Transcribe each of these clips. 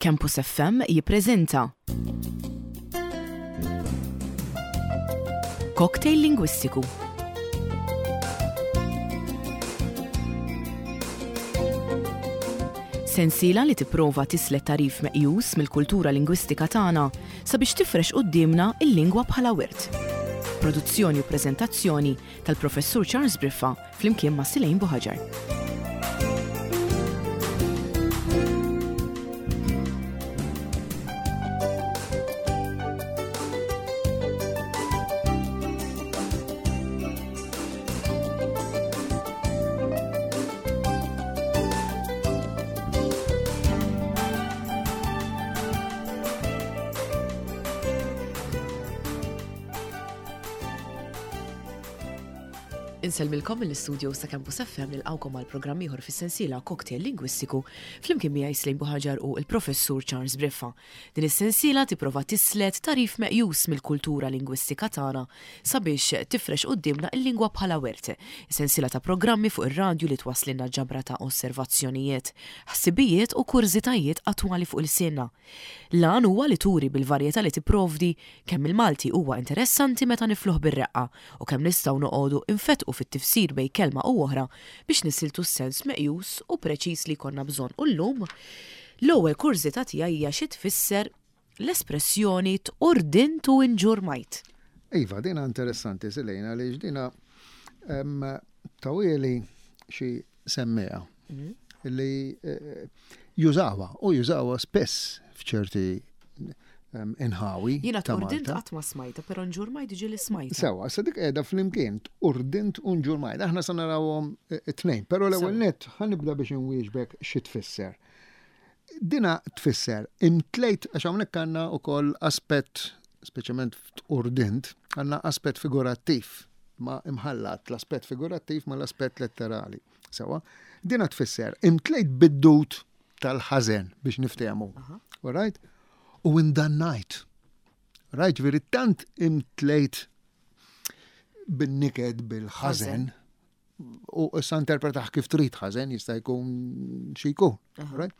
Campus FM jippreżenta Cocktail Lingwistiku. Sensiela li tipprova tislet tagħrif meqjus mill-kultura lingwistika tagħna sabiex tifrex quddiemna l-lingwa bħala wirt. Produzzjoni u preżentazzjoni tal-Professur Charles Briffa flimkien ma' Silejn Buħaġar. Insellmilkom mill-istudios ta' Campus FM nilqgħukom għal programm ieħor fis-sensiela Cocktail Lingwistiku flimkien miegħi Slejn Buħaġar u l-Professur Charles Briffa. Din is-sensiela tipprova tislet tagħrif meqjus mill-kultura lingwistika tagħna sabiex tifrex quddiemna l-lingwa bħala wirt. Sensiela ta' programmi fuq ir-radju li twasslilna ġabra ta' osservazzjonijiet, ħsibijiet u kurżitajiet attwali fuq ilsienna. L-għan huwa li turi bil-varjetà li tipprovdi kemm il-Malti huwa interessanti meta nifluh bir-reqqa u kemm nistgħu noqogħdu nfettqu fit-tifsir bejn kelma u oħra biex nisiltu s-sens meqjus u preċiż li jkollna bżonn. U llum, l-ewwel kurżità tiegħi hija xi tfisser l-espressjoni tqurdint u inġurmajt. Iva, dina interessanti Silejna għaliex dina tawieli xi semmiegħa mhm. li eh, jużawha u jużawha spess f'ċerti inħawi. Jiena tqurdint qatt ma smajta, però nġurmajt ġieli smajta. Sewa, sa dik qiegħda flimkien tqurdint u nġurmajt. Aħna sa narawhom eh, it-tnejn, però l-ewwel nett ħanibda biex inwieġbek xi tfisser. Dina tfisser imtlejt għax hawnhekk għandna wkoll aspett speċjalment f'tqurdint, għandna aspett figurattiv ma imħallat l-aspett figurattiv ma l-aspett letterali. Sewa, dina tfisser imtlejt bid-dut tal-ħażen biex niftehmu. All right? U indannajt. Right, ġifieri tant imtlejt bin-niket bil-ħażen u issa interpretaħ kif trid ħażen jista' jkun xi jkun. Right?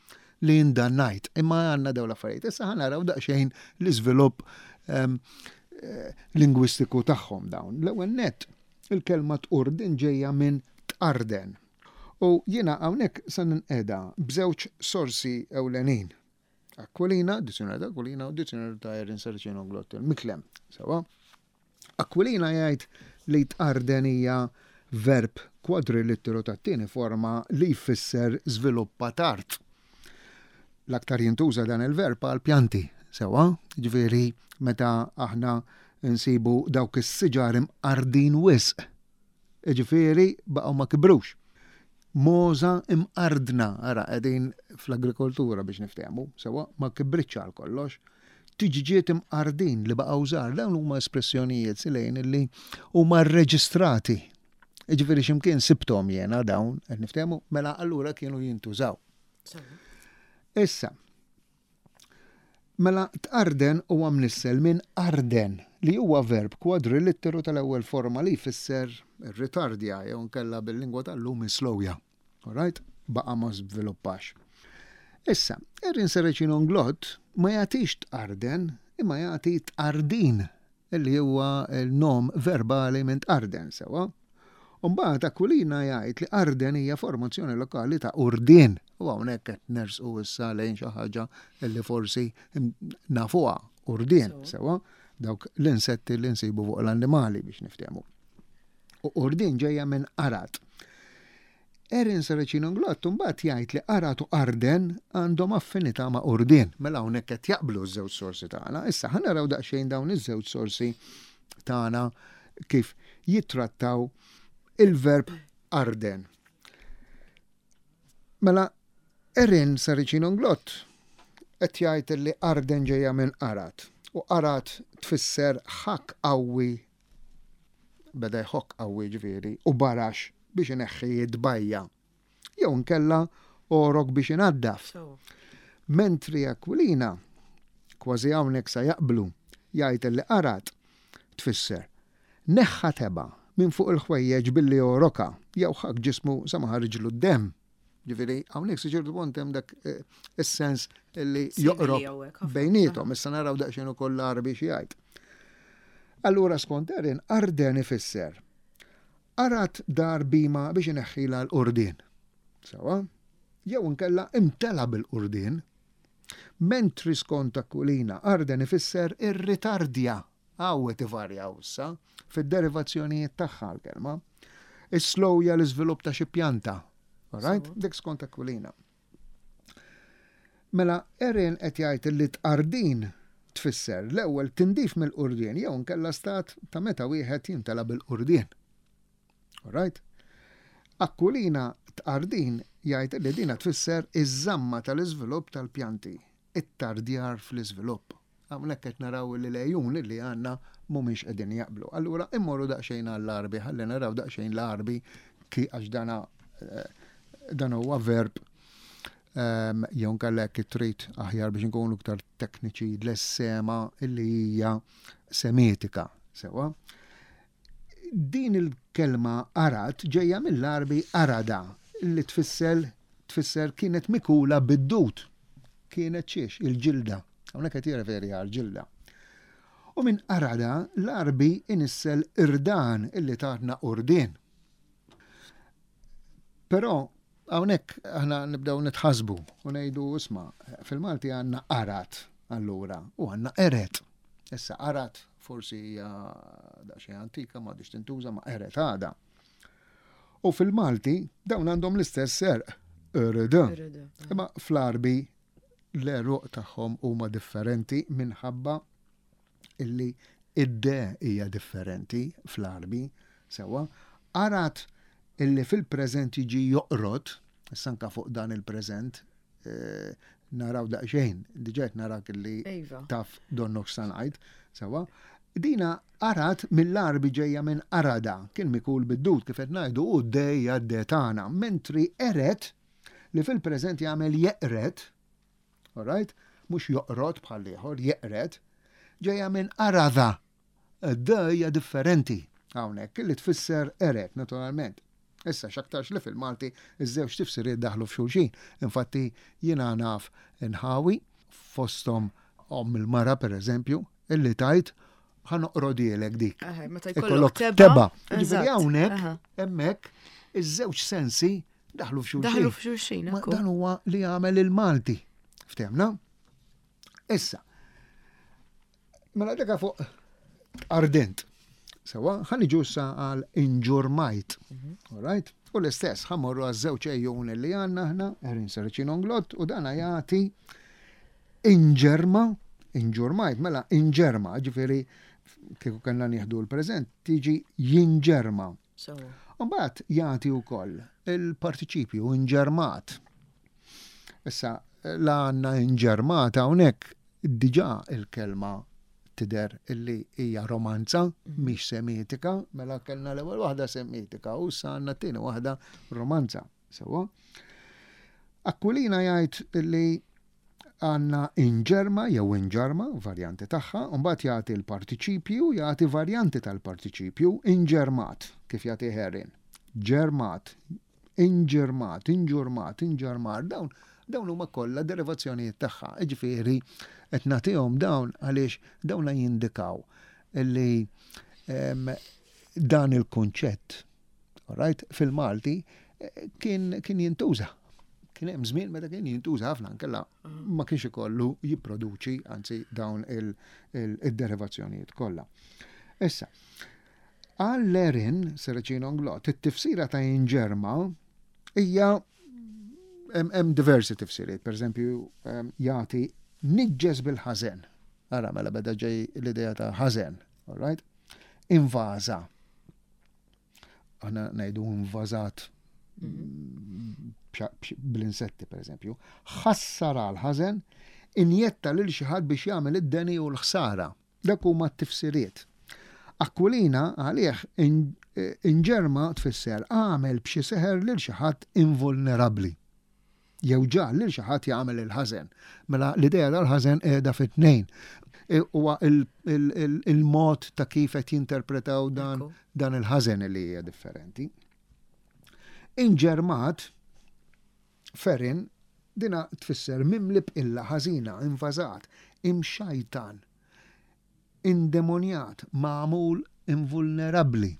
Li indannajt. Imma għandna dawn l-affarijiet. Issa ħa naraw daqsxejn l-iżvilupp ehm, eh, lingwistiku tagħhom dawn. L-ewwel nett il-kelma tqurdin ġejja minn tqarden. U jiena hawnhekk se ninqeda b'żewġ sorsi ewlenin. Aquilina, dizzjonarju ta' Aquilina u dizzjonarju ta' Erin Saraceno Glottel, Miklem. Sewa. Aquilina jgħid li tqarden hija verb kwadrilitteru tat-tieni forma li jfisser żviluppa tard. L-aktar jintuża dan il-verb għal pjanti, sewa, ġifieri meta aħna nsibu dawk is-siġar imqardin wisq Jiġifieri baqgħu ma kibrux. Mogħża imqardna, ara qegħdin fl-agrikoltura biex niftehmu, sewwa ma kibritx għal kollox. Tiġġiet imqardin li baqgħu żgħar, dawn huma espressjonijiet silejn li huma rreġistrati. Jiġifieri x'imkien sibthom jiena dawn, qed niftehmu, mela allura kienu jintużaw. Issa, Mela tqarden huwa mnissel minn arden, li huwa verb kwadrilitteru tal-ewwel forma li jfisser irritardja jew inkella bil-lingwa tal-lum islowja. Alright? Baqa' ma żviluppax. Issa, Erin Saracino Nglott ma jagħtix tqarden imma jagħti tqardin li huwa l-nom verbali minn tqarden, sewwa. U mbagħad Aquilina jgħid li Arden hija formazzjoni lokali ta' Urdien. U hawnhekk qed nersqu issa lejn xi ħaġa li forsi nafuha Urdien, sewwa, dawk l-insetti li nsibu fuq l-annimali biex niftehmu. U Urdien ġejja minn Arad. Erin Saracino Nglott imbagħad jgħid li Arad u Arden għandhom affinità ma' Urdien. Mela hawnhekk qed jaqblu ż-żewġ sorsi tagħna. Issa ħa naraw daqsxejn dawn iż-żewġ sorsi tagħna kif jittrattaw il-verb arden. Mela Erin Saracino Nglott qed jgħid li arden ġejja minn Arad u Arad tfisser ħakk qawwi beda jħokk qawwi ġifieri u barax biex ineħħi t-tbajja. Jew inkella għorok biex inaddaf. Mentri Aquilina, kważi hawnhekk sa jaqblu, jgħid li qarat tfisser neħħa tebgħa minn fuq il-ħwejjeġ billi għorokha jew ħakk ġismu sa ma ħariġlu d-demm. Ġifieri hawnhekk sa ċertu punt hemm dak eh, is-sens li joqrob bejniethom, issa naraw daqsxejn ukoll l-Għarbi xi jgħid. Allura skont Erin, arden ifisser arat dar bima biex ineħħila l-qurdien. Sawa? Jew inkella imtela bil-qurdien. Mentri skont Aquilina, arden ifisser irritardja Hawn qed ivarjaw issa fid-derivazzjonijiet tagħha l-kelma. Isslowja l-iżvilupp ta' xi pjanta. Alright? Dik skont Aquilina. Mela Erin qed jgħid li tqardin tfisser l-ewwel tindif mill-qurdien jew inkella stat ta' meta wieħed jimtela bil-qurdien. Alright? Aquilina tqardin jgħid li dina tfisser iż-żamma tal-iżvilupp tal-pjanti, it-tardjar fl-iżvilupp. Hawnhekk qed naraw li l-għejun li għandna mhumiex qegħdin jaqblu. Allura immorru daqsxejn għall-Għarbi ħalli naraw daqsxejn l-Għarbi ki għax dana eh, dan huwa verb ehm, jew nkella jekk trid aħjar biex nkunu iktar tekniċi l-sema illi hija semitika. Sewa. Din il-kelma arat ġejja mill-Għarbi arada li tfisser tfisser kienet mikula bid-dud. Kienet xiex? Il-ġilda. Hawnhekk qed jirreferi għall-ġilda. U minn arada l-Għarbi inissel irdan illi tatna qurdien. Però hawnhekk aħna nibdew nitħasbu u ngħidu isma' fil-Malti għandna arat allura u għandna eret. Issa arat forsi hija daqsxejn antika ma għadix tintuża ma eret għada. U fil-Malti dawn għandhom l-istess serq, ereda. Imma fl-Arbi l-għeruq tagħhom huma differenti minħabba illi id-de hija differenti fl-Għarbi, sewwa, arat illi fil-preżent jiġi joqrod, issa anka fuq dan il-preżent eh, naraw daqsxejn, diġà qed narak illi iva. taf donnok sa ngħid, sewwa. Dina arat mill-Għarbi ġejja minn arada, kien mikul bid-dud kif qed ngħidu u d-dejja d tagħna, mentri eret li fil-preżent jagħmel jeqred, alright, mhux joqrod bħal ieħor, jeqred, ġejja minn arada. D hija differenti hawnhekk li tfisser eret naturalment. Issa x'aktarx li fil-Malti iż-żewġ tifsiriet daħlu f'xulxin. Infatti jiena naf inħawi fosthom omm il-mara pereżempju illi tgħid ħa noqrodilek dik. Meta jkollok teba. Ġifieri hawnhekk hemmhekk iż-żewġ sensi Daħlu f'xulxin. Daħlu f'xulxin. Dan huwa li għamel il-Malti. Ftemna? Issa. Mela deka fuq ardent. Sewa, ħalli ġussa għal inġurmajt. Mhm. All right? U l-istess, ħammorru għaż żewġ ejjun li għandna aħna, Erin Saracino Nglott, u dana jagħti inġerma, inġurmajt, mela inġerma, ġifieri kieku kellna nieħdu l-preżent, tiġi jinġerma. Mbagħad jagħti wkoll il-partiċipju inġermat. Issa la għandna inġermat hawnhekk diġà il-kelma tidher illi hija romanza, mhm. mhix semitika, mela kellna l-ewwel waħda semitika u issa għandna t-tieni waħda romanza. Sewwa. Aquilina jgħid li għandna inġerma jew inġarma, varjanti tagħha, u mbagħad jagħti l-partiċipju, jagħti varjanti tal-partiċipju, inġermat, kif jagħti Herrin. Ġermat, inġermat, inġurmat, inġarmar, dawn dawn huma kollha derivazzjonijiet tagħha. Jiġifieri qed nagħtihom dawn għaliex dawn jindikaw li ehm, dan il-kunċett Alright, fil-Malti eh, kien, kien jintuża. Kien hemm żmien meta kien jintuża ħafna nkella ma kienx ikollu jipproduċi anzi dawn il-derivazzjonijiet kollha. Issa, għall-Erin Seracino Nglot, it-tifsira ta' inġerma hija hemm diversi tifsiriet, per eżempju, jagħti niġġes bil-ħażen. Ara mela beda ġej l-idea ta' ħażen, all right? Invaża. Aħna ngħidu invażat bl-insetti per eżempju, ħassar għal ħażen, injetta lil xi ħadd biex jagħmel id-deni u l-ħsara. Dak huma t-tifsiriet. Aquilina għalih inġerma tfisser għamel b'xi seħer lil xi ħadd invulnerabbli. Jew ġagħal lil xi ħadd jagħmel il-ħażen. Mela l-idea tal-ħażen qiegħda fit-tnejn. E, huwa il-mod ta' kif qed jinterpretaw dan dan il-ħażen li hija differenti. Inġermat. Ferin dina tfisser mimli b'qilla ħażina, invażat, imxajtan, indemonjat, magħmul invulnerabbli.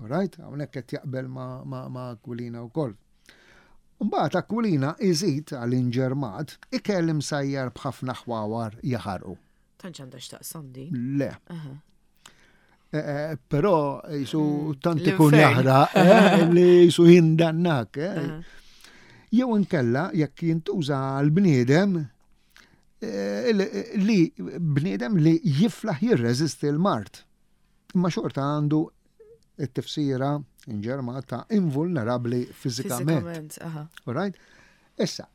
Right? Hawnhekk qed jaqbel ma', ma, ma Aquilina wkoll. Mbagħad Aquilina iżid għal inġermat ikel imsajjar b'ħafna ħwawar jaħarqu. Tantx għandha x'taqsam din. Le. Eh, eh, però jisu mm, tant ikun jaħraq eh, li jisu jindannak. Jew inkella jekk jintuża l-bniedem li bniedem li jiflaħ jirreżisti l-mard. Imma xorta għandu it-tifsira inġerma ta' invulnerabbli fiżikament. Right? Issa,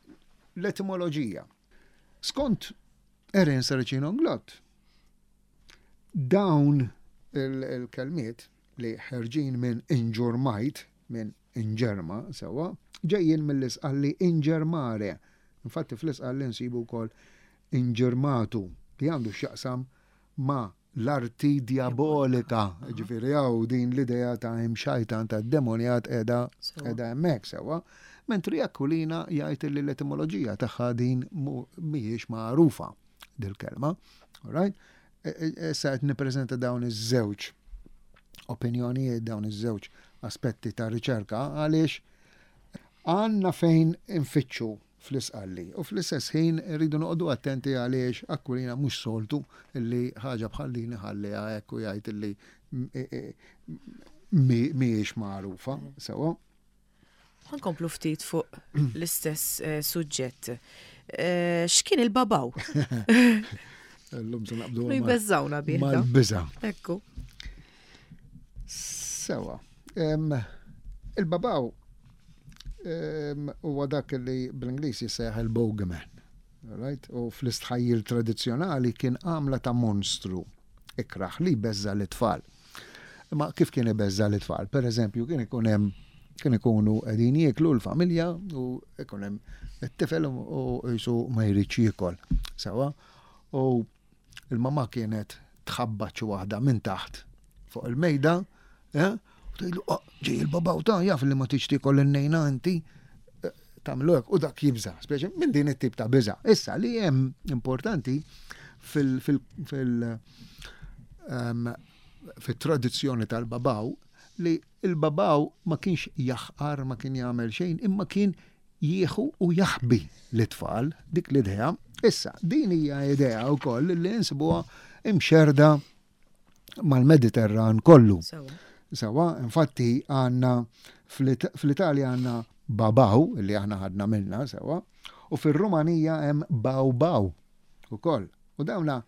l-etimoloġija. Skont Erin Saracino Glott, dawn il-kelmiet li ħerġin minn inġurmajt, minn inġerma, sewa, ġejjin mill-isqalli inġermare. Infatti fl-isqalli nsibu wkoll inġermatu li għandu x'jaqsam ma' l-arti djabolika, ġifieri hawn din l-idea ta' imxajtan ta' demonjat qiegħda qiegħda hemmhekk sewwa. Mentri Aquilina jgħid li l-etimoloġija tagħha din mhijiex magħrufa dil-kelma. Right? E, e, issa qed nippreżenta dawn iż-żewġ opinjonijiet, dawn iż-żewġ aspetti ta' riċerka għaliex għandna fejn infittxu fl-Isqalli u fl-istess ħin irridu noqogħdu attenti għaliex Aquilina mhux soltu li ħaġa bħal din iħalliha hekk u jgħid li mhijiex magħrufa sewwa. Ħa nkomplu ftit fuq l-istess eh, suġġett. Eh, x'kien il-babaw? Illum se naqbdu. Jbeżżawna bih. Mal-biża. Ekku. Sewa. Il-babaw huwa dak li bl-Ingliż jissejjaħ il-bogeyman. Right? U fl-istħajjil tradizzjonali kien għamla ta' monstru ikraħ li jbeżża l-tfal. Imma kif kien ibeżża l-tfal? Per eżempju, kien ikun hemm kien ikunu qegħdin jieklu l-familja u ikun hemm it-tifel u jisu ma jridx jiekol. Sewa. U Il-mamà kienet tħabbat xi waħda minn taħt fuq il-mejda, eh, u tgħidlu, oh, ġej il-babaw ta' jaf li ma tix tiekol in-nejna inti, eh, tagħmlu hekk u dak jibża, speċi minn din it-tip ta' biża. Issa li hemm importanti fil fil fil ehm, fit-tradizzjoni tal-babaw li il-babaw ma kienx jaħqar, ma kien jagħmel xejn, imma kien jieħu u jaħbi lit-tfal, dik l-idea. Issa, din hija idea wkoll li nsibuha imxerda mal-Mediterran kollu. Sewa, infatti għandna fl-Italja għandna babaw, li aħna ħadna minna, sewa, u fir-Rumanija hemm baw baw ukoll. U dawna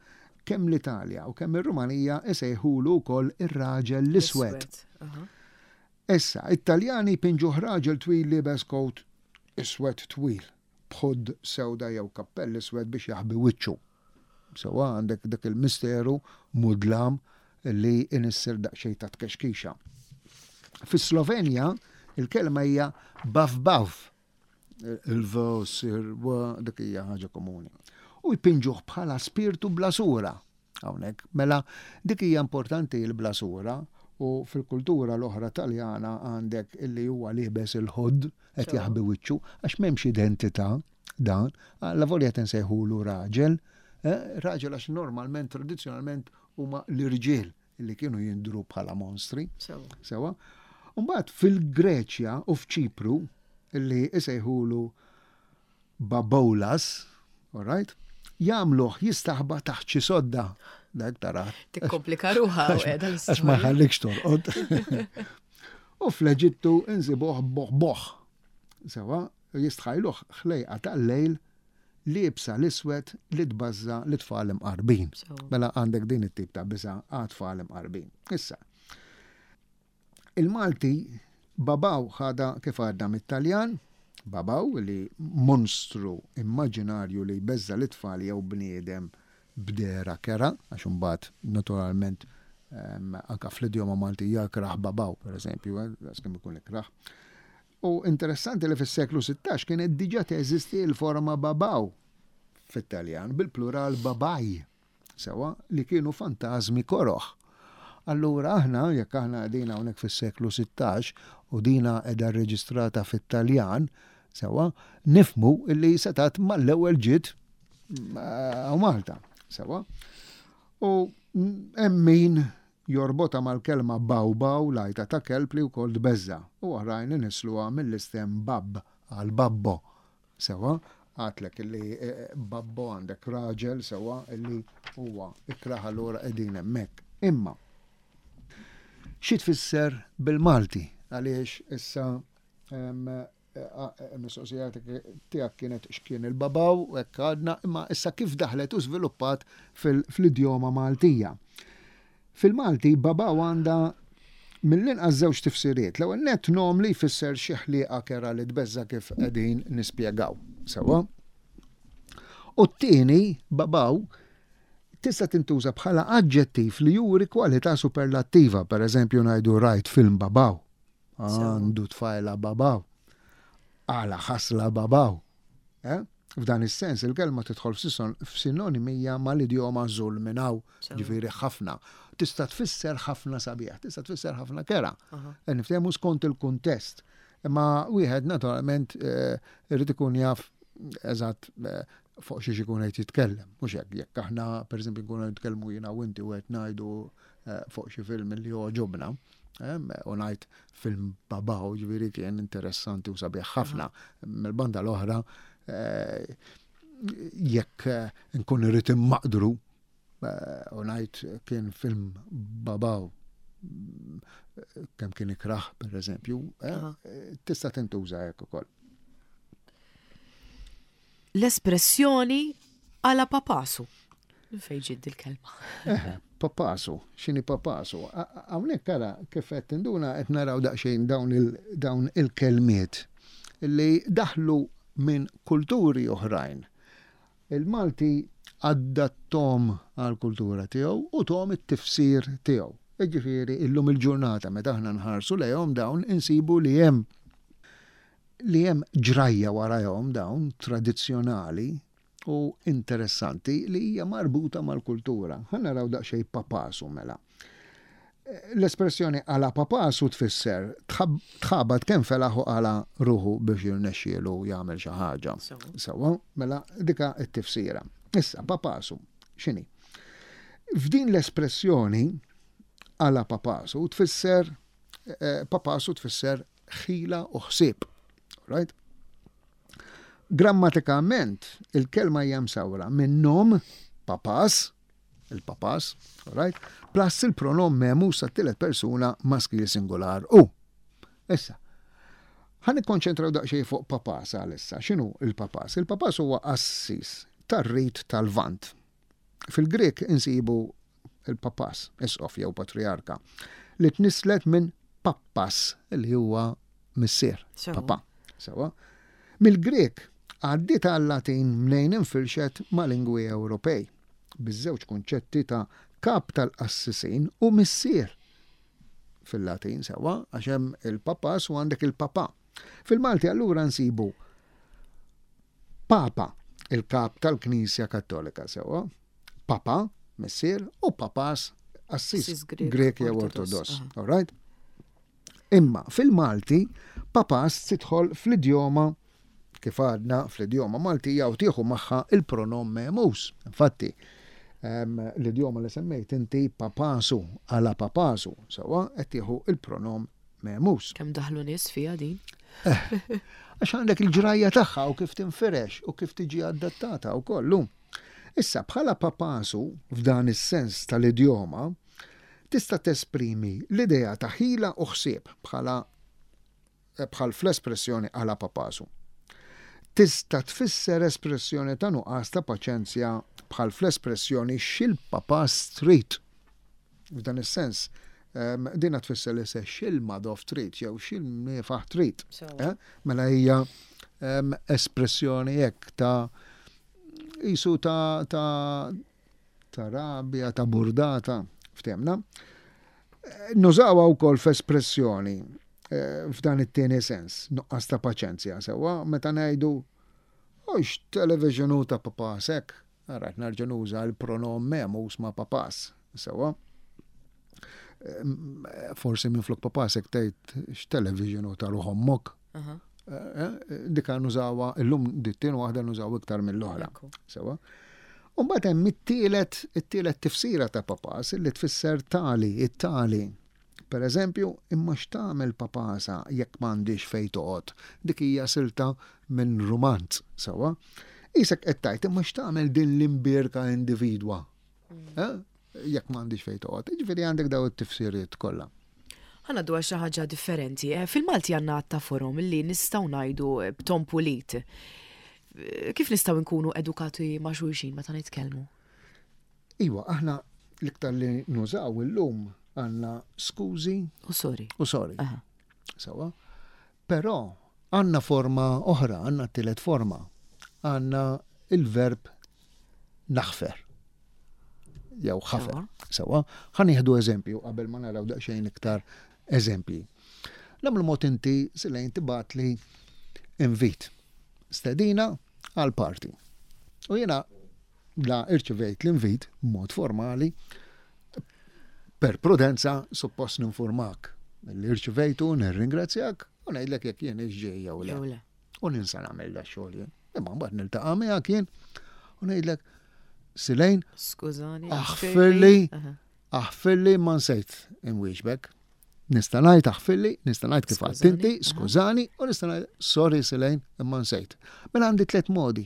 kemm l-Italja u kemm ir-Rumanija isejħulu wkoll ir-raġel l-iswed. Issa, it-Taljani jpinġuh raġel twil liebes kowt iswed twil, b'hood sewda jew kappell iswed biex jaħbi wiċċu. Sewwa għandek dak il-misteru mudlam li inissel daqsxejn ta' tkexkixa. Fis-Slovenja, il-kelma hija bav bav. Il-v ssir w, dik hija ħaġa komuni. U jpinġuh bħala spirtu bla sura. Hawnhekk. Mela, dik hija importanti l-bla sura u fil-kultura l-oħra Taljana għandek illi huwa liebes il-hood qed jaħbi wiċċu għax m'hemmx identità dan. Allavolja qed insejħulu raġel, eh, raġel għax normalment tradizzjonalment huma l-irġiel li kienu jindru bħala monstri. Sewa. Mbagħad fil-Greċja u f'Ċipru li isejħulu Baboulas, all right, jagħmluh jistaħba taħt xi sodda. Dak tara. Tikkomplika ruħha u qiegħda Għax ma jħallikx torqod. U fl-Eġittu insibuh boħ boħ. Sewa, jistħajluh ħlejqa tal-lejl liebsa l-iswed li tbażża l-tfal imqarbin. Mela għandek din it-tip ta' biża' għat-tfal imqarbin. Issa, Il-Malti babaw ħadha kif għadda mit-Taljan, babaw li monstru immaġinarju li jbeżża' lit-tfal jew bniedem b'dehra kerha, għax imbagħad naturalment anke fl-idjoma Maltija ikrah babaw, pereżempju, daqs kemm ikun ikrah. U interessanti li fis-seklu 16 kienet diġà teżisti l-forma babaw fit-Taljan bil-plural babai. Sewwa, li kienu fantażmi koroh. Allura aħna, jekk aħna qegħdin hawnhekk fis-seklu 16 u dina qiegħda rreġistrata fit-Taljan, Sewwa, nifhmu li setgħet mal-ewwel ġiet hawn Malta. Sewwa. U hemm min jorbotha mal-kelma baw baw, l-għajta ta' kelb li wkoll tbeżża', u oħrajn inissluha mill-istem bab għal babbo. Sewwa, għadtlek illi babbo għandek raġel sewwa illi huwa ikrah allura qegħdin hemmhekk. Imma xi tfisser bil-Malti? Għaliex issa mistoqsija tiegħek kienet x'kien il-babaw u hekk għadna, imma issa kif daħlet u żviluppat fl-idjoma Maltija. Fil-Malti babaw għandha mill-inqas żewġ tifsiriet. L-ewwel nett nom li jfisser xi ħlieqa kerha li tbeżża' kif qegħdin nispjegaw. Sewwa? U t-tieni, babaw, tista' tintuża bħala aġġettiv li juri kwalità superlattiva, pereżempju ngħidu rajt film babaw. Għandu tfajla babaw. Għala ħasla babaw. Eh? F'dan is-sens il-kelma tidħol f'sinonimija mal-idjoma żul minn hawn, ġifieri ħafna. Tista' tfisser ħafna sabiħ, tista' tfisser ħafna kera. Eh, niftehmu skont il-kuntest. Imma wieħed naturalment eh, irid ikun jaf eżatt eh, fuq xiex ikun qed jitkellem. Mhux hekk, jekk aħna pereżempju nkunu nitkellmu jiena u inti u qed ngħidu fuq xi film li jogħġobna, u ngħid film babaw, ġifieri kien interessanti u sabiħ ħafna. Mill-banda l-oħra, eh, jekk eh, nkun irrid immaqdru eh, u ngħid kien film babaw kemm kien ikrah, per eżempju, tista' tintuża hekk ukoll. L-espressjoni għala papasu. Fejn ġiet dil-kelma? Eh, papasu, x'inhi papasu? Hawnhekk ara kif qed tinduna qed naraw daqsxejn dawn il-kelmiet li daħlu minn kulturi oħrajn. Il-Malti adattom għall-kultura tiegħu u thom it-tifsir tiegħu. Jiġifieri illum il-ġurnata meta aħna nħarsu lejhom dawn insibu li hemm li hemm ġrajja warajhom dawn tradizzjonali u interessanti li hija marbuta mal-kultura. Ħa naraw daqsxejn papasu mela. L-espressjoni għala papasu tfisser tħabat kemm felaħ u qala ruħu biex jirnexxielu jagħmel xi ħaġa. Sewwa, mela dika t-tifsira. Issa papasu x'inhi? F'din l-espressjoni għala papasu tfisser eh, papasu tfisser ħila u ħsieb. Right? Grammatikament, il-kelma hija msawra minn nom papas, il-papas, right? Plus il-pronom memus tat-tielet persuna maskil singular u. Issa, ħa nikkonċentraw daqsxejn fuq papas għalissa. X'inhu il-papas? Il-papas huwa qassis tar-rit tal-Lvant. Fil-Grieg insibu il-papas, isqof jew patrijarka, li tnisslet minn pappas li huwa missier, papa. Sewa. Mill-Grieg għaddiet għal-Latin mnejn infirxet ma' lingwi Ewropej, biż-żewġ kunċetti ta' kap tal-qassisin u missier fil-Latin sewa, għax hemm il-papas u għandek il-papa. Fil-Malti allura nsibu Papa, il-kap tal-Knisja Kattolika sewwa, Papa, missier, u papas, assis Grek jew Ortodoss. All right? Imma fil-Malti, papas tidħol fl-idjoma kif għadna fl-idjoma Maltija u tieħu magħha il-pronom memus. Infatti, l-idjoma li semmejt inti papasu għala papasu, sewwa qed tieħu il-pronom memus. Kemm daħlu nies fiha din? Eh, għax għandek il-ġrajja tagħha u kif tinfirex u kif tiġi adattata u kollu. Issa bħala papasu f'dan is-sens tal-idjoma tista' tesprimi l-idea ta' ħila u ħsieb bħala eh, bħal fl-espressjoni għala papasu. Tista' tfisser espressjoni ta' nuqqas ta' paċenzja bħal fl-espressjoni xil-papas trid. F'dan is-sens, ehm, dina tfisser li se xil-madof trid jew xil-mifaħ trid. Eh? Mela hija ehm, espressjoni hekk ta' jisu ta' ta' ta' rabja, ta' burdata, ftemna. Eh, nużawha wkoll f'espressjoni eh, f'dan it-tieni sens, nuqqas ta' paċenzja sewwa meta ngħidu Ux television u ta' papasek, Ara, qed nerġa' nuża l-pronom memus ma' papas. Sewwa? Forsi minflok papas hekk tgħid x'television u ta' ruħ ommok. Dika nużawha illum dit-tieni waħda nużaw iktar mill-oħra. Sewa. U mbagħad hemm it-tielet it-tielet tifsira ta' papas li tfisser tali, it-tali. Per eżempju, imma x'tagħmel papasa jekk m'għandhiex fejn toqgħod? Dik hija silta minn rumanz, sewa. Isek qed tgħid imma x'tagħmel din l-imbierka individwa? Eh? Jekk m'għandix fejn toqgħod. Jiġifieri għandek daw it-tifsiriet kollha. Ħa ngħaddu għal xi ħaġa differenti. Eh, fil-Malti għandna għadd ta' forom li nistgħu ngħidu eh, b'ton pulit. Eh, kif nistgħu nkunu edukati ma' xulxin meta nitkellmu? Iwa, aħna l-iktar li nużaw illum għandna skużi u sorry. U sorry. Sawa. Però għandna forma oħra, għandna t-tielet forma. Għandna il-verb naħfer. Jew ħafer. Sawa, ħa nieħdu eżempju qabel ma naraw daqsxejn iktar eżempji. Nagħmlu mod inti silejn tibgħatli invit. Stedina għal party. U jiena la irċivejt l-invit b'mod formali per prudenza suppost ninformak li irċivejtu, nirringrazzjak u ngħidlek jekk jien ġej jew le. U ninsa nagħmel da xogħol jien. Imma mbagħad niltaqa' miegħek jien u ngħidlek Silejn. Skużani. Aħfirli, aħfirli ma nsejt inwieġbek. Nista' ngħid aħfirli, nista' ngħid kif għadt inti, skużani, u nista' ngħid sorry Silejn imma nsejt. Mela għandi tliet modi.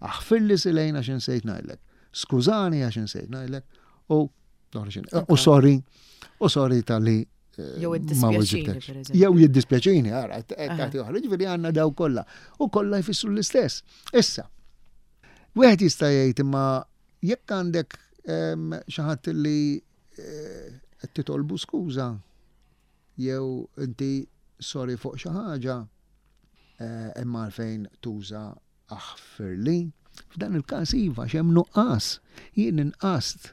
Aħfirli Silejn għax insejt ngħidlek. Skużani għax insejt ngħidlek u u sorry, u sorry tal-li Jew id-dispjaċini, per eżempju. Jew jiddispjaċini, ara, tagħti oħra, ġifieri għandna daw kollha. U kollha jfissru l-istess. Issa, wieħed jista' jgħid imma jekk għandek ehm, xi ħadd li eh, qed titolbu skuża jew inti sorry fuq xi ħaġa, eh, imma għalfejn tuża Aħfirli. F'dan il-każ iva, x'hemm nuqqas. Jien inqast.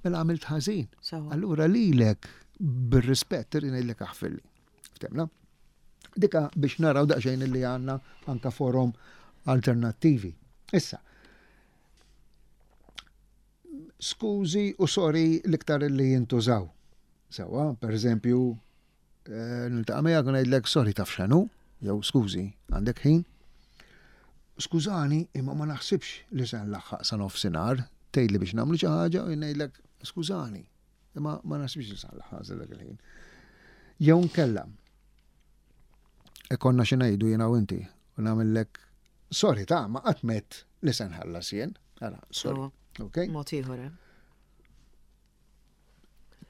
Mela għamilt ħażin. Allura lilek bir-rispett irrid ngħidlek aħfirli. Ftemna? Dika biex naraw daqsxejn li għandna anka forom alternattivi. Issa, skużi u sorry l-iktar li jintużaw. Sewa, per eżempju, Eh, niltaqa' miegħek u ngħidlek sorry taf x'inhu, jew skużi, għandek ħin. Skużani, imma ma naħsibx li se nlaħħaq sa nofsinhar, tgħidli biex nagħmlu xi ħaġa u ngħidlek skużani, imma ma naħsibx li se nlaħħaq sa dak il-ħin. Jew nkella ikonna xi ngħidu jiena u inti u nagħmellek sorry ta' ma qatt met li se nħallas jien. Ara, sorry. Okay? Mod ieħor, eh?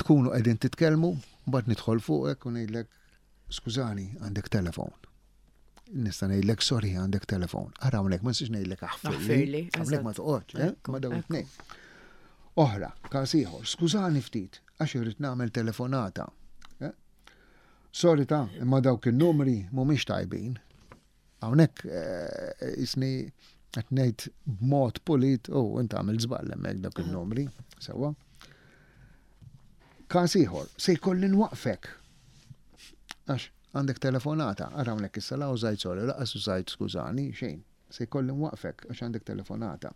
Tkunu qegħdin titkellmu, mbagħad nidħol fuqek u ngħidlek skużani għandek telefon. Nista' ngħidlek sorry għandek telefon. Ara hawnhekk ma nistax ngħidlek aħfirli. Hawnhekk ma toqgħodx, eh? Ma dawn it-tnejn. Oħra, każ ieħor, skużani ftit għax irrid nagħmel telefonata. Eh? Sorry ta' imma dawk in-numri mhumiex tajbin. Hawnhekk jisni qed ngħid b'mod pulit u oh, int għamil żball hemmhekk dak il-numri, sewwa. Każ ieħor, se jkolli nwaqfek. Għax għandek telefonata, ara hawnhekk issa la użajt sorry, laqas użajt skużani, xejn. Se jkolli nwaqfek għax għandek telefonata.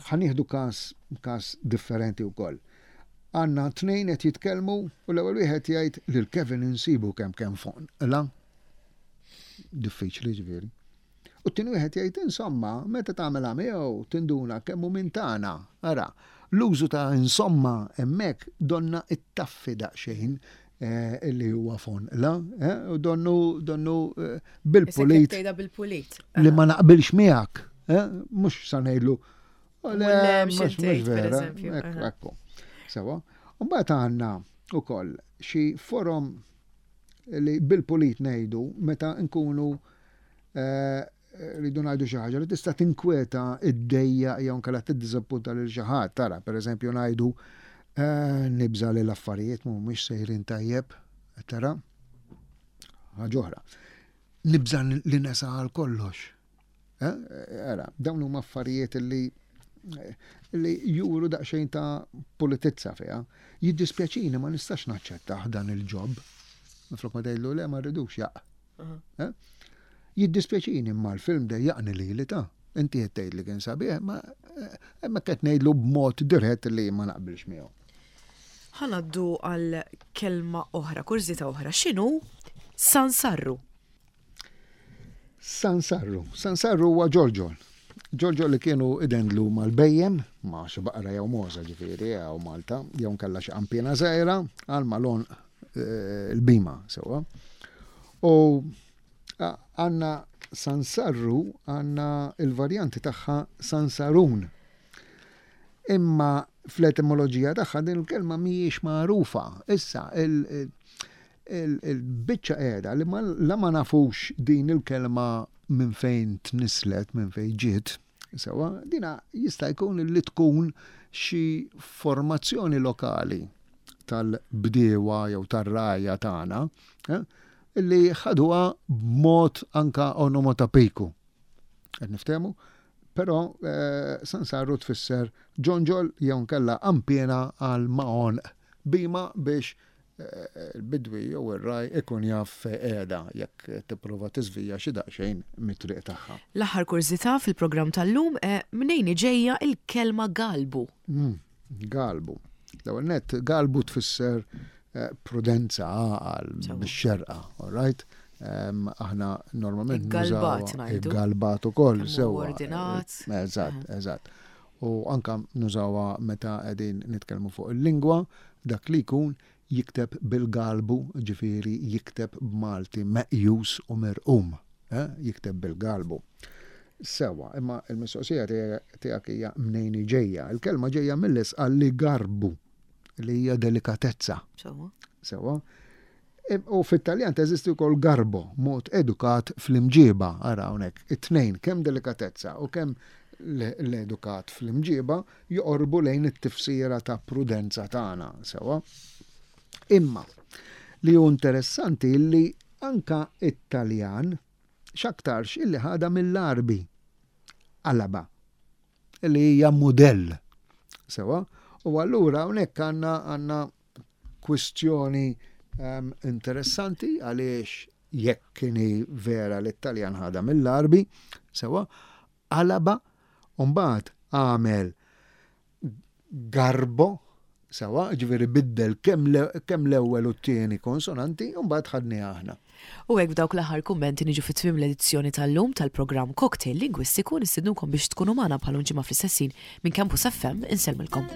Ħa nieħdu każ każ differenti wkoll. Għandna tnejn qed jitkellmu u l-ewwel wieħed jgħid lil Kevin insibu kemm kemm fuq la. Diffiċli ġifieri. U t-tieni wieħed jgħid insomma, meta tagħmilha miegħu tinduna kemm hu minn tagħna. Ara, l-użu ta' insomma hemmhekk donna ittaffi daqsxejn eh, li huwa fon la, eh, u donnu donnu eh, bil-pulit. bil-pulit. Li ma naqbilx miegħek, mhux sa ngħidlu. Le, mhux vera. Ekku. Sewa. Mbagħad għandna ukoll xi forom li bil-pulit ngħidu meta nkunu Rridu ngħidu xi ħaġa li tista' tinkweta, iddejjaq jew inkella tiddiżappunta lil xi ħadd. Tara, pereżempju ngħidu eh, nibża' li l-affarijiet mhumiex sejrin tajjeb, tara. Ħaġa oħra. Nibża' li nesa għal kollox. Eh, ara, dawn huma affarijiet li li juru daqsxejn ta' pulitizza fiha. Jiddispjaċini ma nistax naċċettah dan il-ġob. Minflok ma tgħidlu le ma rridux jaq. Eh? Jiddispjaċini imma l-film dejjaqni lili ta'. Inti qed tgħid li kien sabiħ, ma eh, hemmhekk qed ngħidlu b'mod dirett li ma naqbilx miegħu. Ħa ngħaddu għal kelma oħra, kurżità oħra. X'inhu San Sarru? Sansarru. Sansarru huwa ġorġol. Ġorġol li kienu idendlu mal-bejjem, ma' xi baqra jew mogħża ġifieri hawn Malta, jew nkella xi qanpiena żgħira għal mal-għonq eh, il-bima sewwa. U għandna Sansarru għandna il-varjanti tagħha Sansarun. Imma fl-etimoloġija tagħha din il-kelma mhijiex magħrufa. Issa, il-biċċa qiegħda li la ma nafux din il-kelma minn fejn tnisslet, minn fejn ġiet, sewa, dina jista' jkun li tkun xi formazzjoni lokali tal-bdiewa jew tar-rgħajja tagħna eh, li ħaduha b'mod anka onomotopiku. Qed niftehmu? Però eh, sansarru tfisser ġonġol jew nkella qanpiena għal ma' għonq bima biex eh, il-bidwi jew ir-raj ikun jaf fejn qiegħda jekk tipprova tiżvija xi daqsxejn mit-triq tagħha. L-aħħar kurżità fil-programm tal-lum eh, mnejn ġejja il-kelma galbu? Mm, galbu. L-ewwel nett galbu tfisser eh, prudenza għaqal bix-xerqa, all right? Aħna normalment Galbat ngħidu. Galbat ukoll sewwa. Ordinat. Eh, eżatt, eżatt. U anka nużawha meta qegħdin nitkellmu fuq il-lingwa, dak li jkun jikteb bil-galbu, ġifieri jikteb b'Malti meqjus u mirqum, eh, jikteb bil-galbu. Sewa, imma il-mistoqsija tiegħek hija mnejn ġejja. Il-kelma ġejja mill-isqal li garbu li hija delikatezza. Sewa. U fit-Taljan teżisti wkoll garbo, mod edukat fl-imġiba, ara hawnhekk, it-tnejn, kemm delikatezza u kemm l-edukat fl-imġiba joqorbu lejn it-tifsira ta' prudenza tagħna, sewa. Imma li hu interessanti li anka it-Taljan x'aktarx illi ħadha mill-Għarbi, Alaba. li hija mudell. Sewa, u allura hawnhekk għandna għandna kwistjoni um, interessanti għaliex jekk kieni vera li t-Taljan ħadha mill-Arbi, sewa, qalaba, u mbagħad għamel garbo, sewa, ġifieri biddel kemm l-ewwel u t-tieni konsonanti, u mbagħad ħadniha aħna. U hekk b'dawk l-aħħar kummenti niġu fi tmiem l-edizzjoni tal-lum tal-programm Cocktail Lingwistiku nistednukom biex tkunu magħna bħal ġimgħa fl-istess ħin minn Campus FM insellmilkom.